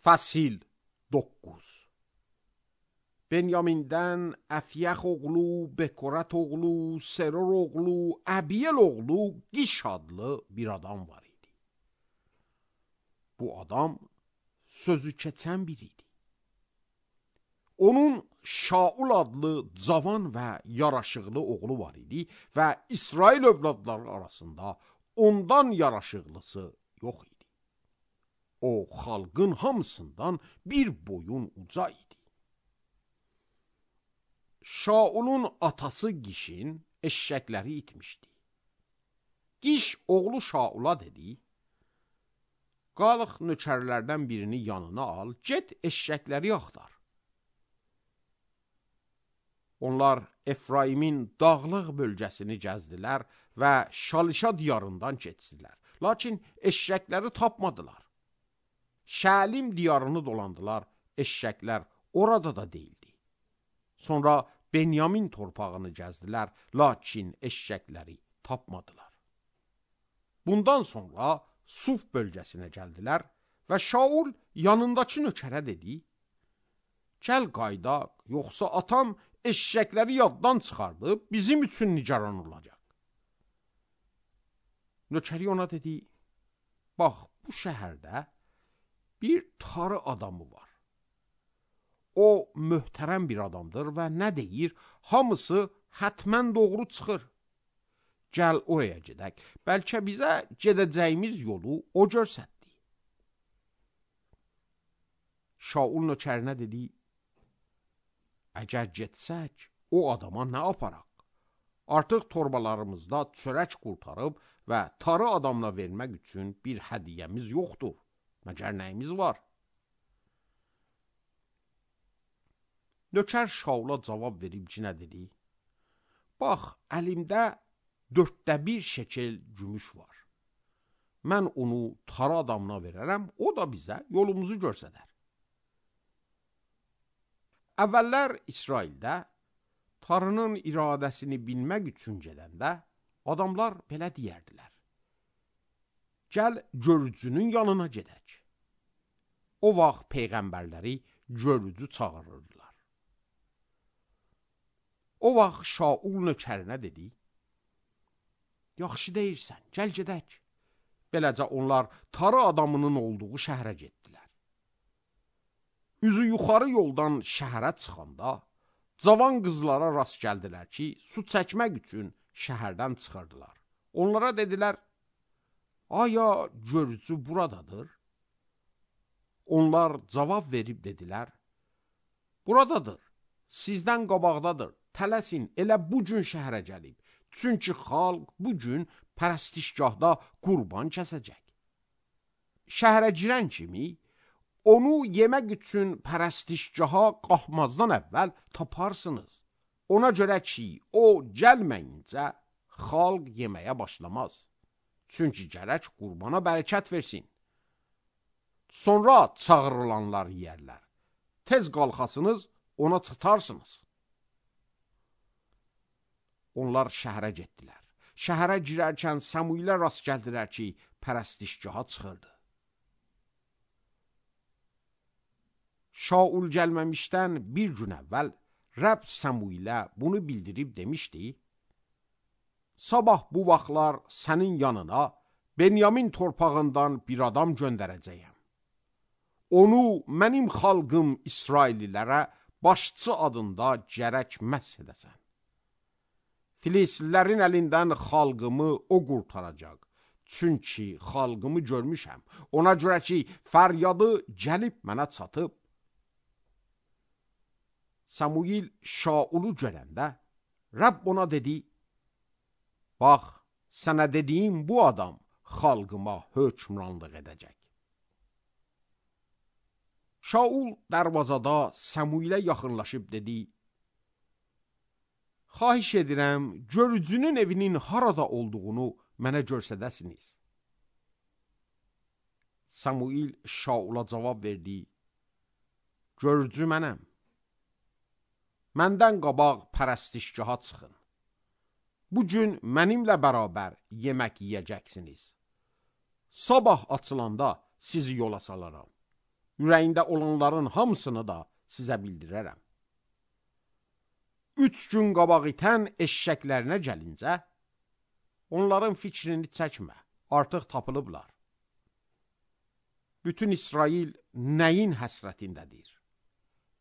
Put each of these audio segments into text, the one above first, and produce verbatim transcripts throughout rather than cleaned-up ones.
Fəsil doqquz. Benyamindən Əfyəx oğlu, Bekorət oğlu, Seror oğlu, Əbiyel oğlu Qiş adlı bir adam var idi. Bu adam sözü keçən biri idi. Onun Şaul adlı cavan və yaraşıqlı oğlu var idi və İsrail övladları arasında ondan yaraşıqlısı yox idi. O, xalqın hamısından bir boyun uca idi. Şaulun atası Qişin eşşəkləri itmişdi. Qiş oğlu Şaula dedi, qalıq nökərlərdən birini yanına al, get eşşəkləri axtar. Onlar Efraimin dağlıq bölgəsini gəzdilər və Şalişa diyarından keçdilər. Lakin eşşəkləri tapmadılar. Şəlim diyarını dolandılar, eşşəklər orada da deyildi. Sonra Benyamin torpağını gəzdilər, lakin eşşəkləri tapmadılar. Bundan sonra Suf bölgəsinə gəldilər və Şaul yanındakı nökərə dedi, gəl qaydaq, yoxsa atam eşşəkləri yaddan çıxardıb bizim üçün nigaran olacaq. Nökəri ona dedi, bax, bu şəhərdə bir tarı adamı var. O, möhtərəm bir adamdır və nə deyir, hamısı hətmən doğru çıxır. Gəl oraya gedək, bəlkə bizə gedəcəyimiz yolu o görsətdi. Şaul nökərinə dedi, əgər getsək, o adama nə aparaq? Artıq torbalarımızda çörək qurtarıb və tarı adamla vermək üçün bir hədiyyəmiz yoxdur. Məgər nəyimiz var? Nökər Şaula cavab verib cinə dedi, bax, əlimdə dörddə bir şekel gümüş var. Mən onu tarı adamına verərəm, o da bizə yolumuzu görsədər. Əvvəllər İsraildə tarının iradəsini bilmək üçün gedəndə adamlar belə deyərdilər. Gəl görücünün yanına gedək. O vaxt peyğəmbərləri görücü çağırırdılar. O vaxt Şaul nökərinə dedi, yaxşı deyirsən, gəl gedək. Beləcə onlar tarı adamının olduğu şəhərə getdilər. Üzü yuxarı yoldan şəhərə çıxanda, cavan qızlara rast gəldilər ki, su çəkmək üçün şəhərdən çıxırdılar. Onlara dedilər, aya görücü buradadır? Onlar cavab verib dedilər, buradadır, sizdən qabaqdadır, tələsin, elə bu gün şəhərə gəlib. Çünki xalq bu gün pərəstişgahda qurban kəsəcək. Şəhərə girən kimi, onu yemək üçün pərəstişgaha qalxmazdan əvvəl taparsınız. Ona görə ki, o gəlməyincə xalq yeməyə başlamaz. Çünki gərək qurbana bərəkət versin. Sonra çağırılanlar yeyərlər. Tez qalxasınız, ona çıtarsınız. Onlar şəhərə getdilər. Şəhərə girərkən Samuilə rast gəldilər ki, pərəstişgaha çıxırdı. Şaul gəlməmişdən bir gün əvvəl Rəbb Samuilə bunu bildirib demişdi, sabah bu vaxtlar sənin yanına Benyamin torpağından bir adam göndərəcəyəm. Onu mənim xalqım İsraillilərə başçı adında gərək məhz edəsən. Filislilərin əlindən xalqımı o qurtaracaq. Çünki xalqımı görmüşəm. Ona görə ki, fəryadı gəlib mənə çatıb. Samuil Şaulu görəndə, Rəbb ona dedi, bax, sənə dediyim bu adam xalqıma hökmranlıq edəcək. Şaul darvazada Samuilə yaxınlaşıb dedi, xahiş edirəm, görücünün evinin harada olduğunu mənə görsədəsiniz. Samuil Şaula cavab verdi, görücü mənəm. Məndən qabaq pərəstişgaha çıxın. Bu gün mənimlə bərabər yemək yiyəcəksiniz. Sabah açılanda sizi yola salaram. ürəyində olanların hamısını da sizə bildirərəm. Üç gün qabaq itən eşşəklərinə gəlincə, onların fikrini çəkmə, artıq tapılıblar. Bütün İsrail nəyin həsrətindədir?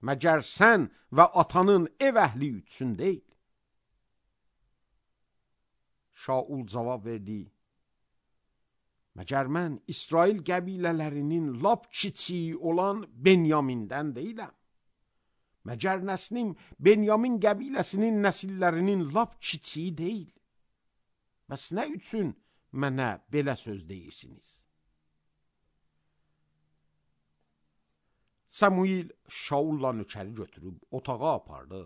Məgər sən və atanın ev əhli üçün deyil? Şaul cavab verdi, məgər mən İsrail qəbilələrinin lap kiçiyi olan Benyamindən deyiləm? Məgər nəslim Benyamin qəbiləsinin nəsillərinin lap kiçiyi deyil? Bəs nə üçün mənə belə söz deyirsiniz? Samuil Şaulla nökəri götürüb otağa apardı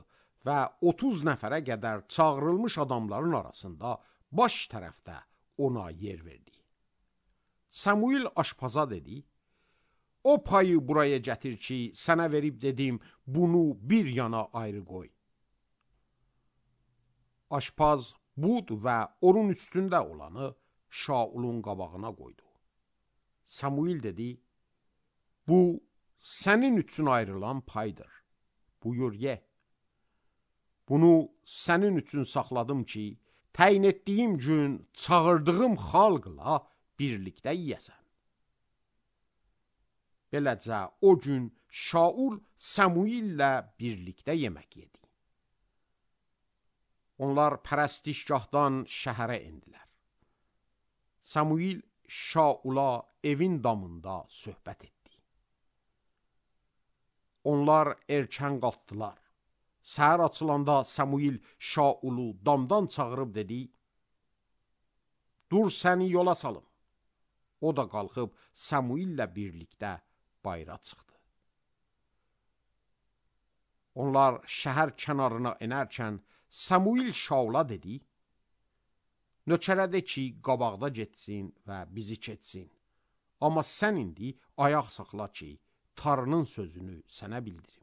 və otuz nəfərə qədər çağırılmış adamların arasında baş tərəfdə ona yer verdi. Samuil aşpaza dedi, o payı buraya gətir ki, sənə verib dedim, bunu bir yana ayrı qoy. Aşpaz bud və onun üstündə olanı Şaulun qabağına qoydu. Samuil dedi, bu sənin üçün ayrılan paydır. Buyur ye. Bunu sənin üçün saxladım ki, təyin etdiyim gün çağırdığım xalqla birlikdə yiyəsən. Beləcə o gün Şaul Samuillə birlikdə yemək yedi. Onlar pərəstişgahdan şəhərə endilər. Samuil Şaula evin damında söhbət etdi. Onlar erkən qalxdılar. Səhər açılanda Samuil Şaulu damdan çağırıb dedi, dur səni yola salım. O da qalxıb Samuillə birlikdə bayıra çıxdı. Onlar şəhər kənarına enərkən Samuil Şaula dedi, nökərə de ki, qabaqda getsin və bizi keçsin. Amma sən indi ayaq saxla ki, Tanrının sözünü sənə bildirim.